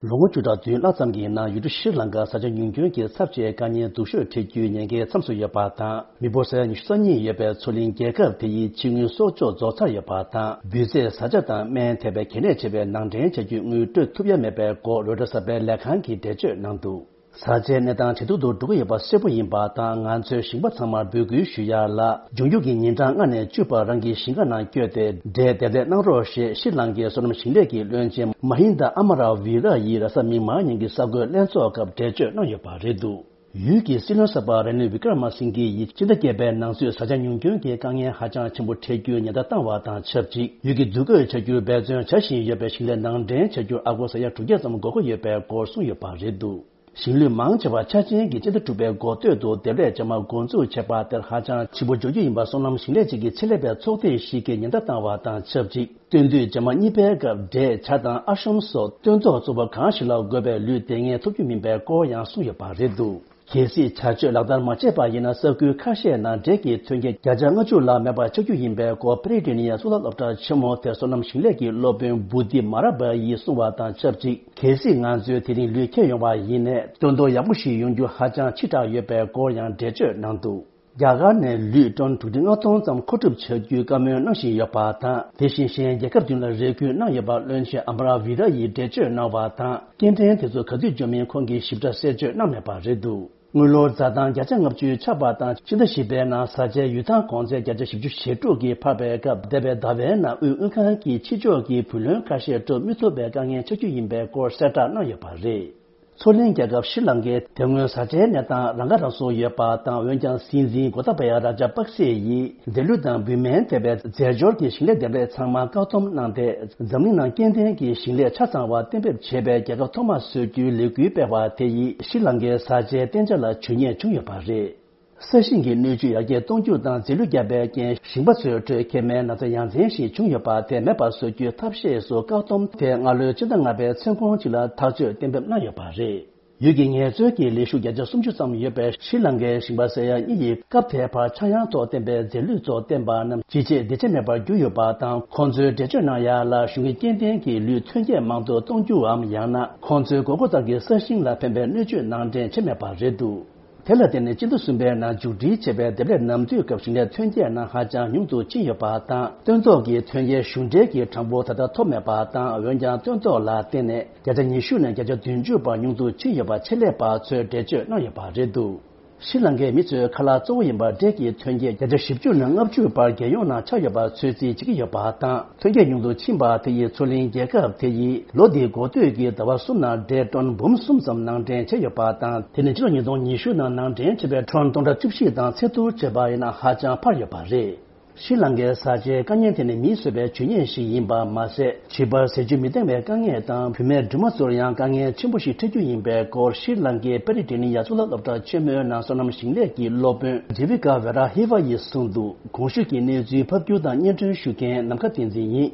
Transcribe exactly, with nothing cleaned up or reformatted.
ལོ་ངོ་བཅུ་ཕྲག་བདུན་ལྷག་ཙམ་གྱི་ནང་ཡུལ་གྲུ་ཤྲི་ལང་ཀར་ས་ཆ་ཉུང་སྐྱོན་གྱི་ཚབས་ཆེའི་དཀའ་ངལ་སྡུག་ཤོས་འཕྲད་རྒྱུའི་ཉེན་ཁའི་མཚམས་སུ་ཡོད་པ་དང་། མི་འབོར་ས་ཡ་ཉི་ཤུ་རྩ་གཉིས་ཡོད་པའི་མཚོ་གླིང་རྒྱལ་ཁབ་དེ་ཡི་ཕྱི་དངུལ་གསོག་འཇོག་རྫོགས་ཚར་ཡོད་པ་དང་། འབུད་རྫས་བཟའ་བཅའ་དང་སྨན་ཐེ་བའི་གལ་གནད་ཆེ་བའི་ནང་འདྲེན་བྱ་རྒྱུའི་དངུལ་སྤྲོད་ཐུབ་ཡ་མེད་པའི་སྐོར་རོའི་ཊར་གསར་པའི་ལས་ཁང་གིས་འགྲེལ་བརྗོད་གནང་འདུག་ས་ཆའི་གནས་སྟངས་ཇེ་སྡུག་ཏུ་འགྲོ་གི་ཡོད་པ་གསལ་པོ་ཡིན་པ་དང་། ང་ཚོས་ཞིང་པ་ཚང་མར་འབོད་སྐུལ་ཞུ་ཡ་ལ། འབྱུང་འགྱུར་གྱི་ཉིན་གྲངས་ལྔ་ནས་བཅུ་བར་རང་གི་ཞིང་ཁ་ནང་བསྐྱོད་དེ་འབྲས་འདེབས་ལས་གནང་རོགས་ཞེས་ཤྲི་ལང་ཀའི་སོ་ནམ་ཞིང་ལས་ཀྱི་བློན་ཆེན་མ་ཧིན་དཱ་ཨ་མ་ར་བྷི་ར་ཡིས་རེས་གཟའ་མིག་དམར་ཉིན་གྱི་གསར་འགོད་ལྷན་ཚོགས་སྐབས་འགྲེལ་བརྗོད་གནང་ཡོད་པ་རེད་འདུག་ཡུལ་གྱི་སྲིད་བློན་གསར་པ་ར་ནིལ་བི་ཀྲ་མ་སིང་གྷེ་ཡིས་སྤྱི་ཟླ་བརྒྱད་པའི་ནང་ཚུད་ས་ཆ་ཉུང་སྐྱོན་གྱི་དཀའ་ངལ་ཧ་ཅང་ཆེན་པོ་འཕྲད་རྒྱུའི་ཉེན་བརྡ་བཏང་བ་དང་ཆབས་ཅིག་ཡུལ་གྱི་འདུ་འགོད་བྱ་རྒྱུར་འབད་བརྩོན་བྱ་བཞིན་ཡོད་པའི་ཞིང་ལས་ནང་འདྲེན་བྱ་རྒྱུར་ཨ་སྒོར་ས་ཡ་དྲུག་བརྒྱ་ཙམ་དགོས་མཁོ་ཡོད་པའི་སྐོར་གསུངས་ཡོད་པ་རེད་འདུག་ཞིང་ལུད་མང་ཆེ་བ་ཆ་ཅན་གྱི་སྤྱི་ཟླ་དྲུག་པའི་འགོ་སྟོད་དུ་འདེབས་ལས་བྱ་མ་འགོ་འཛུགས་བྱས་པ་དེར་ཧ་ཅང་ཆེན་པོ་འགྱུར་རྒྱུ་ཡིན་པ་སོ་ནམ་ཞིང་ལས་ཅན་གྱི་ཆེད་ལས་པའི་ཚོགས་སྡེ་ཞིག་གིས་ཉེན་བརྡ་བཏང་བ་དང་ཆབས་ཅིག་སྟོན་དུས་བྱ་མ་གཉིས་པའི་སྐབས་འབྲས་བྱ་དང་ཨ་ཤམ་སོགས་སྟོན་ཐོག་བཙོག་པ་གང་ཞིག་ལ་དགོས་པའི་ལུད་དེ་སྔའི་ཐོབ་རྒྱུ་མིན་པའི་སྐོར་ཡང་གསུངས་ཡོད་པ་རེད་འདུག་གལ་སྲིད་བྱ་སྤྱོད་ལག་བསྟར་མ་བྱས་པ་ཡིན་ན་ས་ཁུལ་ཁ་ཤས་ནང་འབྲས་ཀྱི་ཐོན་སྐྱེད་བརྒྱ་ཆ་ལྔ་བཅུ་ལྷག་མེད་པར་ཆགས་རྒྱུ་ཡིན་པའི་སྐོར་པེ་རི་ཏི་ནི་ཡ་གཙུག་ལག་སློབ་གྲྭ་ཆེན་མོ་དེར་སོ་ནམ་ཞིང་ལས་ཀྱི་སློབ་དཔོན་བུ་དི་མ་ར་བ་ཡིས་གསུངས་པ་དང་ཆབས་ཅིག་གལ་སྲིད་ང་ཚོས་དེ་རིང་ལུད་འཁྱེར་ཡོང་བ་ཡིན་ནའི་སྟོན་ཐོག་ཡག་པོ་ཞིག་ཡོང་རྒྱུ་ཧ་ཅང་ཕྱི་དྲགས་ཡོད་པའི་སྐོར་ཡང་འགྲེལ་བརྗོད་གནང་འདུག་རྒྱ་གར་ནས་ལུད་ཊོན་དྲུག་ཁྲི་ལྔ་སྟོང་ཙམ་མཁོ་སྒྲུབ་བྱ་རྒྱུའི་བཀའ་མོལ་གནང་བཞིན་ཡོད་པ་དང་། དེ་བཞིན་གཞན་རྒྱལ་ཁབ་བདུན་ལ་རེ་སྐུལ་གནང་ཡོད་པ་བློན་ཆེན་ཨ་མ་ར་བྷི་ར་ཡིས་འགྲེལ་བརྗོད་གནང་བ་དང་། སྐྱེལ་འདྲེན་དེ་ཚོ་ག་དུས་འབྱོར་མིན་ཁོང་གིས་ཞིབ་ཕྲ་གསལ་བརྗོད་གནང་མེད་པ་རེད་འདུག་དངུལ་ལོར་འཛའ་ཐང་བརྒྱ་ཆ་ལྔ་བཅུའི་ཆག་པ་དང་། ཕྱི་ཟླ་བཞི་པའི་ནང་ས་ཆའི་ཡུལ་ཐང་གོང་ཚད་བརྒྱ་ཆ་བཞི་བཅུ་ཞེ་དྲུག་གིས་འཕར་བའི་སྐབས། འདས་པའི་ཟླ་བའི་ནང་དབུས་དངུལ་ཁང་གིས་ཕྱི་ཕྱོགས་ཀྱི་བུ་ལོན་ཁ་ཤས་སྤྲོད་མི་ཐུབ་པའི་དཀའ་ངལ་ཆགས་རྒྱུ་ཡིན་པའི་སྐོར་གསལ་བསྒྲགས་གནང་ཡོད་པ་རེད། མཚོ་གླིང་རྒྱལ་ཁབ་ཤྲི་ལང་ཀའི་དེ་སྔོན་ས་ཆའི་གནས་སྟངས་རང་ཁ་རང་གསོ་ཡོད་པ་དང་། འོན་ཀྱང་སྲིད་འཛིན་གོ་ཏཱ་བ་ཡ་ར་ཇ་པག་སེ་ཡིས་འབྲས་ལུད་དང་བུད་སྨན་ཐེ་བའི་རྫས་སྦྱོར་གྱི་ཞིང་ལས་འདེབས་ལས་ཚང་མ་བཀག་སྡོམ་གནང་སྟེ། འཛམ་གླིང་ནང་སྐྱེ་ལྡན་གྱི་ཞིང་ལས་ཆ་ཚང་བ་གཏན་འབེབས་བྱས་པའི་རྒྱལ་ཁབ་ཐོག་མ་བཟོ་རྒྱུའི་ལས་འགུལ་སྤེལ་བ་དེ་ཡིས་ཤྲི་ལང་ཀའི་ས་ཆའི་གཏན་འཇགས་ལ་བྱུས་ཉེས་བྱུང་ཡོད་པ་རེད། ས་ཞིང་གི་སྣོད་བཅུད་ཡར་རྒྱས་གཏོང་རྒྱུ་དང་རྫས་ལུད་བརྒྱབ་པའི་རྐྱེན་ཞིང་པ་ཚོའི་ཁྲོད་མཁལ་མའི་ན་ཚ་ཡ་མཚན་ཞིག་བྱུང་ཡོད་པ་དེ་མེད་པར་བཟོ་རྒྱུའི་ཐབས་ཤེས་སུ་བཀག་སྡོམ་དེ་སྔ་ལོའི་ཕྱི་ཟླ་ལྔ་པའི་མཚན་གུང་གཅིག་ལ་ཐག་གཅོད་གཏན་འབེབས་གནང་ཡོད་པ་རེད། ཡུལ་གྱི་ངལ་རྩོལ་གྱི་ལས་ཞུགས་བརྒྱ་ཆ་སུམ་ཅུ་ཙམ་ཡོད་པའི་ཤྲི་ལང་ཀའི་ཞིང་པ་ས་ཡ་གཉིས་ཡིས་སྐབས་དེའི་བར་ཆག་ཡང་ཐོག་བསྟན་པའི་རྫས་ལུད་ཚོ་བསྟེན་པ་རྣམས་ཇི་བྱས་འདི་བྱས་མེད་པར་གྱུར་ཡོད་པ་དང་། ཁོང་ཚོས་འགྲེལ་བརྗོད་གནང་ཡ་ལ། གཞུང་གིས་སྐྱེ་ལྡན་གྱི་ལུད་ཐོན་སྐྱེད་མང་དུ་གཏོང་རྒྱུའམ། ཡང་ན་ཁོང་ཚོའི་དགོས་མཁོ་ལྟར་གྱི་ས་ཞིང་ལ་ཕན་པའི་སྣོད་བཅུད་ནང་འདྲེན་བྱས་མེད་པ་རེད་འདུག་དེ་ལ་བརྟེན་ནས་སྤྱི་ཟླ་གསུམ་པའི་ནང་མཇུག་སྒྲིལ་བྱས་པའི་འདེབས་ལས་ནམ་དུས་སྐབས་ཞིང་ལས་ཐོན་སྐྱེད་ནང་ཧ་ཅང་ཉུང་དུ་ཕྱིན་ཡོད་པ་དང་། སྟོན་ཐོག་གི་ཐོན་སྐྱེད་གཞུང་འབྲེལ་གྱི་གྲངས་འབོར་ད་ལྟ་ཐོབ་མེད་པ་དང་། འོན་ཀྱང་སྟོན་ཐོག་ལ་བརྟེན་ནས་བརྒྱ་ཆ་ཉི་ཤུ་ནས་བརྒྱ་ཆ་བདུན་ཅུ་བར་ཉུང་དུ་ཕྱིན་ཡོད་པ་ཆེད་ལས་པ་ཚོས་འགྲེལ་བརྗོད་གནང་ཡོད་པ་རེད་འདུག་ཤྲི་ལང་ཀའི་མི་ཚོའི་ཁ་ལག་གཙོ་བོ་ཡིན་པ་འབྲས་ཀྱི་ཐོན་སྐྱེད་བརྒྱ་ཆ་བཞི་བཅུ་ནས་ལྔ་བཅུ་བར་རྒྱལ་ཡོངས་ནང་ཆགས་ཡོད་པར་ཚོད་རྩིས་བྱེད་ཀྱི་ཡོད་པ་དང་། ཐོན་སྐྱེད་ཉུང་དུ་ཕྱིན་པ་དེ་ཡིས་མཚོ་གླིང་རྒྱལ་ཁབ་དེ་ཡིས་ལོ་འདིའི་འགོ་སྟོད་ཀྱི་ཟླ་བ་གསུམ་ནང་འབྲས་ཊོན་འབུམ་གསུམ་ཙམ་ནང་འདྲེན་བྱས་ཡོད་པ་དང་། དེ་ནི་ཕྱི་ལོ་ཉིས་སྟོང་ཉི་ཤུ་ནང་ནང་འདྲེན་བྱས་པའི་ཊོན་སྟོང་ཕྲག་བཅུ་བཞི་དང་ཚད་བསྡུར་བྱས་པ་ཡིན་ན་ཧ་ཅང་འཕར་ཡོད་པ་རེད། ཤྲི་ལང་ཀའི་ས་ཆའི་དཀའ་ངལ་དེ་ནི་མིས་བཟོས་པའི་བྱུས་ཉེས་ཤིག་ཡིན་པ་མ་ཟད། བྱིས་པར་ཟས་བཅུད་མི་འདང་བའི་དཀའ་ངལ་དང་། བུད་མེད་སྦྲུམ་མ་ཚོར་ཡང་དཀའ་ངལ་ཆེན་པོ་ཞིག་འཕྲད་རྒྱུ་ཡིན་པའི་སྐོར་ཤྲི་ལང་ཀའི་པེ་རི་ཏི་ནི་ཡ་གཙུག་ལག་སློབ་གྲྭ་ཆེན་མོའི་ནང་སོ་ནམ་ཞིང་ལས་ཀྱི་སློབ་དཔོན་ཇི་བི་ཀ་ཝེ་ར་ཧི་ཝ་ཡིས་གསུངས་འདུག་གོང་ཞུས་ཀྱི་གནས་ཚུལ་ཕབ་སྒྱུར་དང་སྙན་སྒྲོན་ཞུ་མཁན་ནམ་མཁའ་བསྟན་འཛིན་ཡིན།